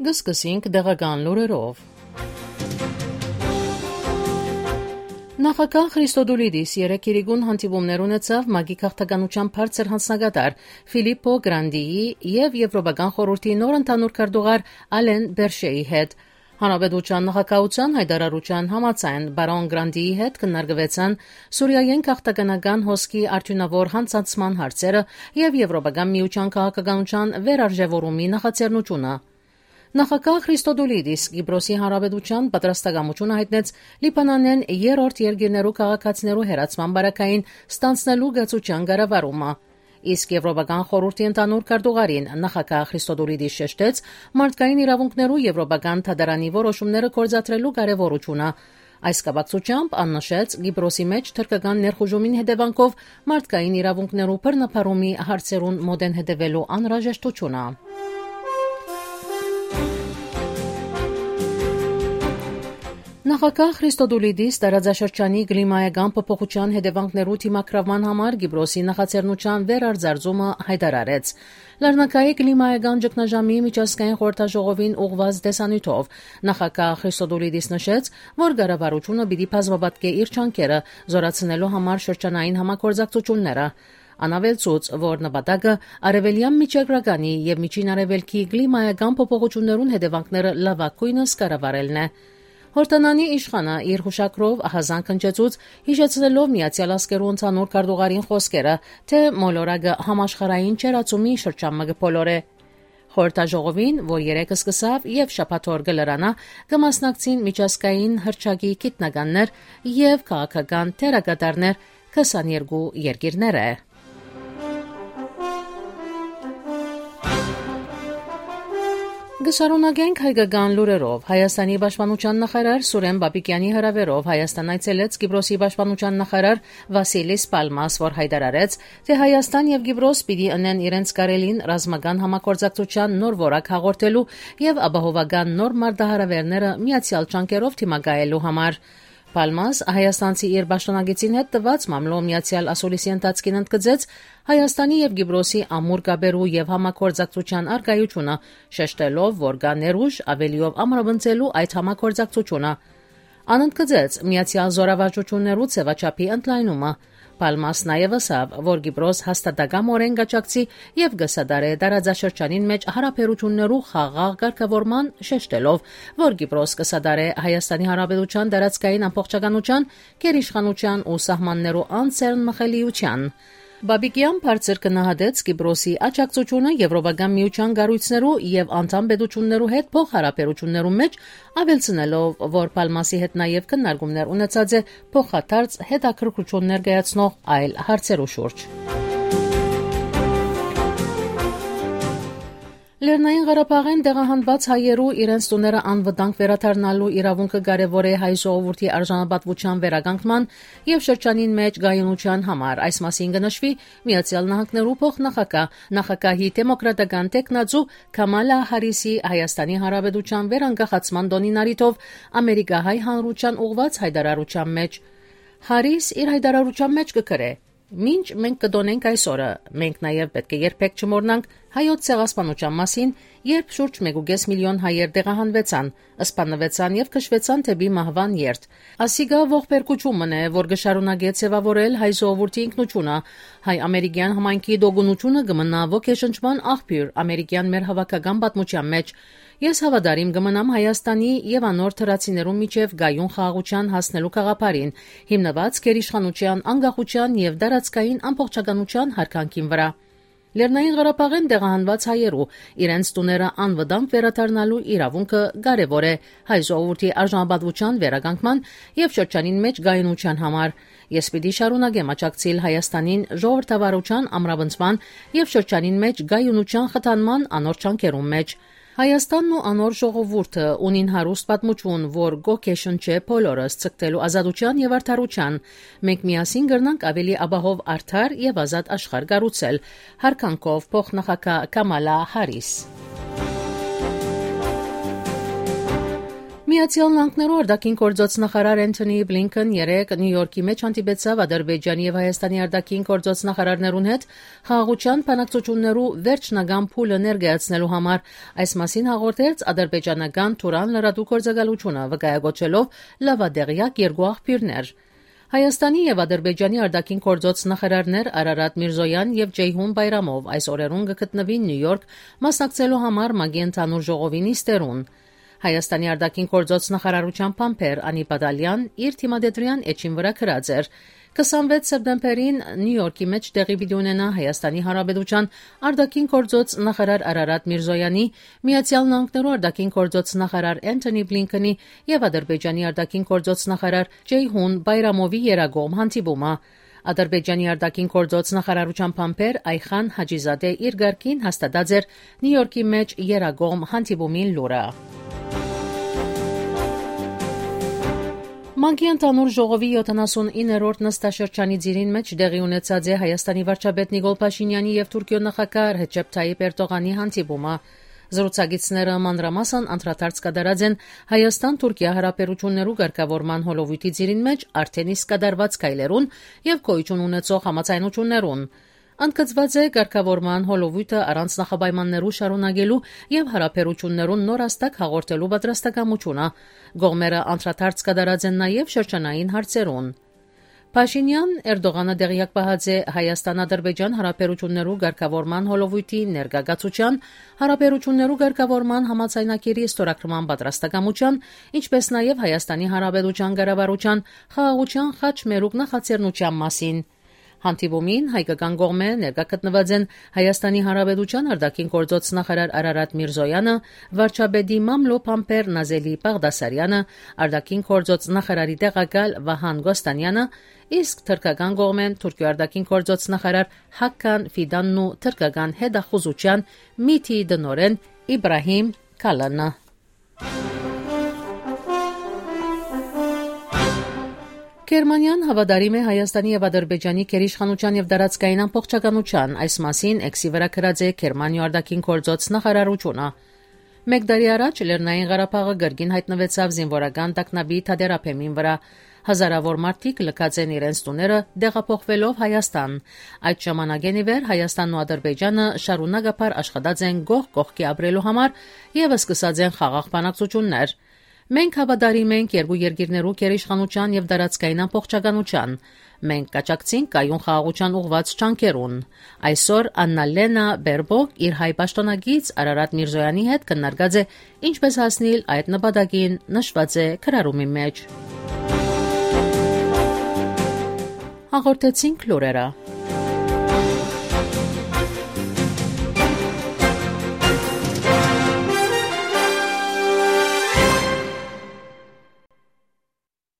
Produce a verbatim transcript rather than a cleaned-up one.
Գսկսինք դեղական լուրերով։ Նախագահ Քրիստոդուլիդիս երեկ իրիկուն հանդիպումներ ունեցավ ՄԱԳ-ի քաղաքականության բարձր հանձնագետար Ֆիլիպպո Գրանդիի եւ Եվրոպական խորհրդի նոր ընդհանուր քարտուղար Ալեն Բերշեի հետ։ Հանրապետության նախագահության հայտարարության համաձայն բարոն Գրանդիի հետ քննարկվեցան Սուրիայեն քաղաքականական հոսքի արդյունավոր հանցանցման հարցերը եւ Եվրոպական միության քաղաքականության վերարժևորումի նախաձեռնությունը։ Նախագահ Քրիստոդուլիդիս Կիպրոսի հանրապետության պատրաստակամությունը հայտնեց Լիբանանեն երրորդ երկիրներու քաղաքացիներու հերացման բարակային ստանցնելու գծության կառավարումը։ Իսկ Եվրոպական խորհրդի ընդհանուր քարտուղարին նախագահ Քրիստոդուլիդիս շեշտեց մարդկային իրավունքներու եվրոպական թադարանի որոշումները կորզատրելու կարևորությունը։ Այս կապակցությամբ աննշեց Կիպրոսի մեջ թրկական ներխուժումին հետևանքով մարդկային իրավունքներու բռնապարումի հարցերուն մոդեն հետևելու անհրաժեշտությունը։ Նախագահ Քրիստոդուլիդիս տարածաշրջանի կլիմայական փոփոխության հետևանքներու դիմակրավման համար Կիպրոսի նախաձեռնության վերարձարծումը հայտարարեց։ Լեռնակայի կլիմայական ճգնաժամի միջազգային խորհրդաժողովին ուղղված դեսանյութով նախագահ Քրիստոդուլիդիս նշեց, որ կառավարությունը պիտի բազմապատկե իր ջանքերը զորացնելու համար շրջանային համագործակցությունները։ Անավելցուց, որ նպատակը արևելյան միջերկրականի եւ միջին արևելքի կլիմայական փոփոխություններուն հետևանքները լավագույնս կառավարելն է։ Հորտանանի իշխանը իր հուշակրով ահազանգ ընչեցուց հիշեցնելով Միացյալ Ազգերու ընդհանուր քարտուղարին խոսքերը, թե մոլորակը համաշխարհային չերացումի շրջանը կփոլորե։ Խորհրդաժողովին, որ երեկ սկսավ եւ շաբաթօր կլրանա, կմասնակցին միջազգային հռչակի գիտնականներ եւ քաղաքական թերակատարներ քսաներկու երկիրներ է։ Գշարունակենք հայկական լուրերով։ Հայաստանի պաշտպանության նախարար Սուրեն Բաբիկյանի հրավերով Հայաստան այցելեց Կիպրոսի պաշտպանության նախարար Վասիլիս Պալմաս, որ հայտարարեց, թե Հայաստան եւ Կիպրոս պիտի ընեն իրենց կարելին ռազմական համագործակցության նոր որակ հաղորդելու եւ ապահովական նոր մարտահրավերները միացյալ ջանքերով դիմակայելու համար։ Պալմաս հայաստանցի իր պաշտոնագետին հետ տված մամլո միացյալ ասուլիսի ընթացքին ընդգծեց Հայաստանի եւ Կիպրոսի ամուր կապերու եւ համագործակցության արգայությունը, շեշտելով, որ կա ներուժ ավելիով ամրապնդելու այդ համագործակցությունը։ Անընդգծեց միացյալ զորավարժություններու ձևաչափի ընդլայնումը։ Պալմաս նաև ասավ, որ Կիպրոս հաստատակամորեն կաջակցի եւ կսադարե տարածաշրջանին մեջ հարաբերություններու խաղաղ կարգավորման, շեշտելով, որ Կիպրոս կսադարե Հայաստանի Հանրապետության տարածքային ամբողջականության, գերիշխանության ու սահմաններու անցերն մխելիության։ Բաբիկյան բարձր կնահատեց Կիպրոսի աջակցությունը Եվրոպական միության կառույցներու եւ անդամ պետություններու հետ փոխհարաբերություններու մեջ, ավելցնելով, որ Պալմասի հետ նաեւ քննարկումներ ունեցած է փոխադարձ հետաքրքրություն ներկայացնող այլ հարցերու շուրջ։ Լեռնային Ղարաբաղեն տեղահանված հայերու իրենց տուները անվտանգ վերադառնալու իրավունքը կարևոր է հայ ժողովրդի արժանապատվության վերականգնման եւ շրջանին մեջ գայունության համար։ Այս մասին կնշվի Միացյալ Նահանգներու փոխնախագահ նախագահի դեմոկրատական տեխնացու Քամալա Հարիսի Հայաստանի Հանրապետության վերանկախացման տոնին առիթով ամերիկահայ հանրության ուղված հայտարարության մեջ։ Հարիս իր հայտարարության մեջ կգրե. Մինչ մենք կդոնենք այսօրը, մենք նաև պետք է երբեք չմոռնանք հայոց ցեղասպանության մասին, երբ շուրջ մեկ կես միլիոն հայեր տեղահանվեցան, սպանվեցան եւ քշվեցան դեպի մահվան երթ։ Ասիգա ողբերգությունն է, որ կշարունակի ցևավորել հայ ժողովրդի ինքնությունը, հայ-ամերիկյան համայնքի դոգունությունը կմնա ոգեշնչման աղբյուր ամերիկյան մեր հավաքական պատմության մեջ։ Ես հավատարիմ կմնամ Հայաստանի եւ անոր թրացիներու միջև գայուն խաղաղության հասնելու գաղափարին, հիմնված գերիշխանության, անկախության եւ դարածքային ամբողջականության հարգանքին վրա։ Լեռնային Ղարաբաղեն տեղահանված հայերու իրենց տուները անվտանգ վերադառնալու իրավունքը կարևոր է հայ ժողովրդի արժանապատվության վերականգնման եւ շրջանին մեջ գայունության համար։ Ես պիտի շարունակեմ աջակցել Հայաստանին ժողովրդավարության ամրապնդման եւ շրջանին մեջ գայունության խթանման անոր ջանքերուն մեջ։ Հայաստանն ու անոր ժողովուրդը ունին հարուստ պատմություն, որ գոքեշն չէ բոլորս ցկտելու ազատության եւ արդարության։ Մենք միասին կրնանք ավելի ապահով արդար եւ ազատ աշխարհ կառուցել։ Հարկանքով փոխնախագահ Կամալա Հարիս։ Միացյալ Նահանգներու արտաքին գործոց նախարար Անթոնի Բլինքեն երեկ Նյու Յորքի մեջ հանդիպեցավ Ադրբեջանի եւ Հայաստանի արտաքին գործոց նախարարներուն հետ խաղաղության բանակցություններու վերջնական փուլը ներկայացնելու համար։ Այս մասին հաղորդեց ադրբեջանական Թուրան լրատու գործակալությունը, վկայակոչելով լավադեղյակ երկու աղբյուրներ։ Հայաստանի եւ Ադրբեջանի արտաքին գործոց նախարարներ Արարատ Միրզոյան եւ Ջեյհուն Բայրամով այս օրերուն կգտնվին Նյու Յորք մասնակցելու համար ՄԱԳ-ի ընդհանուր ժողովի նիստերուն։ Հայաստանի արտաքին գործոց նախարարության փամփեր Անի Բադալյան իր թիմադետրյան էջին վրա գրած էր. «քսանվեց սեպտեմբերին Նյու Յորքի մեջ տեղի պիտի ունենա Հայաստանի Հանրապետության արտաքին գործոց նախարար Արարատ Միրզոյանի, Միացյալ Նահանգներու արտաքին գործոց նախարար Անթոնի Բլինքենի եւ Ադրբեջանի արտաքին գործոց նախարար Ջեյհուն Բայրամովի երագոմ հանդիպումը»։ Ադրբեջանի արտաքին գործոց նախարարության փամփեր Այխան Հաջիզադե իր գարկին հաստատած էր Նյու Յորքի մեջ երագոմ հանդիպումին լուրը։ ՄԱԳ-ի ընդհանուր ժողովի յոթանասունիններորդ նստաշրջանի ծիրին մեջ տեղի ունեցած է Հայաստանի վարչապետ Նիկոլ Փաշինյանի եւ Թուրքիո նախագահ Ռեջեփ Թայիփ Էրդողանի հանդիպումը։ Զրուցակիցները մանրամասն անդրադարձ կատարած են Հայաստան-Թուրքիա հարաբերություններու ղեկավարման հոլովույթի ծիրին մեջ արդեն իսկ կատարված քայլերուն եւ գոյություն ունեցող համաձայնություններուն։ Ընդգծված է ղեկավարման հոլովույթը առանց նախապայմաններու շարունակելու եւ հարաբերություններուն նոր աստակ հաղորդելու պատրաստակամությունը։ Գողմերը անդրադարձ կատարած են նաեւ շրջանային հարցերուն։ Փաշինյան Էրդողանը դեղյակ պահած է Հայաստան-Ադրբեջան հարաբերություններու ղեկավարման հոլովույթի ներգաղացության, հարաբերություններու ղեկավարման համաձայնագիրի ստորագրման պատրաստակամության, ինչպես նաեւ Հայաստանի Հանրապետության ղեկավարության խաղաղության խաչմերուկ նախաձեռնության մասին։ Հանդիպումին հայկական կողմերը ներկա գտնված են Հայաստանի Հանրապետության արտաքին գործոց նախարար Արարատ Միրզոյանը, վարչապետի մամլո փամփեր Նազելի Բաղդասարյանը, արտաքին գործոց նախարարի տեղակալ Վահան Գոստանյանը, իսկ թուրքական կողմեն Թուրքիո արտաքին գործոց նախարար Հական Ֆիդանն ու թուրքական հետախուզության Միթի դնորեն Իբրահիմ Քալանը։ Գերմանիան հավատարիմ է Հայաստանի եւ Ադրբեջանի գերիշխանության եւ դարածքային ամբողջականության, այս մասին էքսի վրա գրած է Գերմանիա արտաքին գործոց նախարարությունը։ Մեկ տարի առաջ Լեռնային Ղարաբաղը գրգին հայտնվեցավ զինվորական տագնապի թատերապեմին վրա։ Հազարավոր մարդիկ լքած են իրենց տուները դեղափոխվելով Հայաստան։ Այդ ժամանակեն ի վեր Հայաստանն ու Ադրբեջանը շարունակաբար աշխատած են գող կողքի ապրելու համար եւ սկսած են խաղաղ բանակցություններ։ Մենք հավատարիմ ենք երկու երկիրներու գերիշխանության եւ դարածքային ամբողջականության։ Մենք կաճակցենք կայուն խաղաղության ուղղված ջանքերուն։ Այսօր Աննալենա Բերբոկ իր հայ պաշտոնագից Արարատ Միրզոյանի հետ քննարկած է ինչպես հասնել այդ նպատակին, նշված է քրարումի մեջ։ Հաղորդեցինք լուրերը։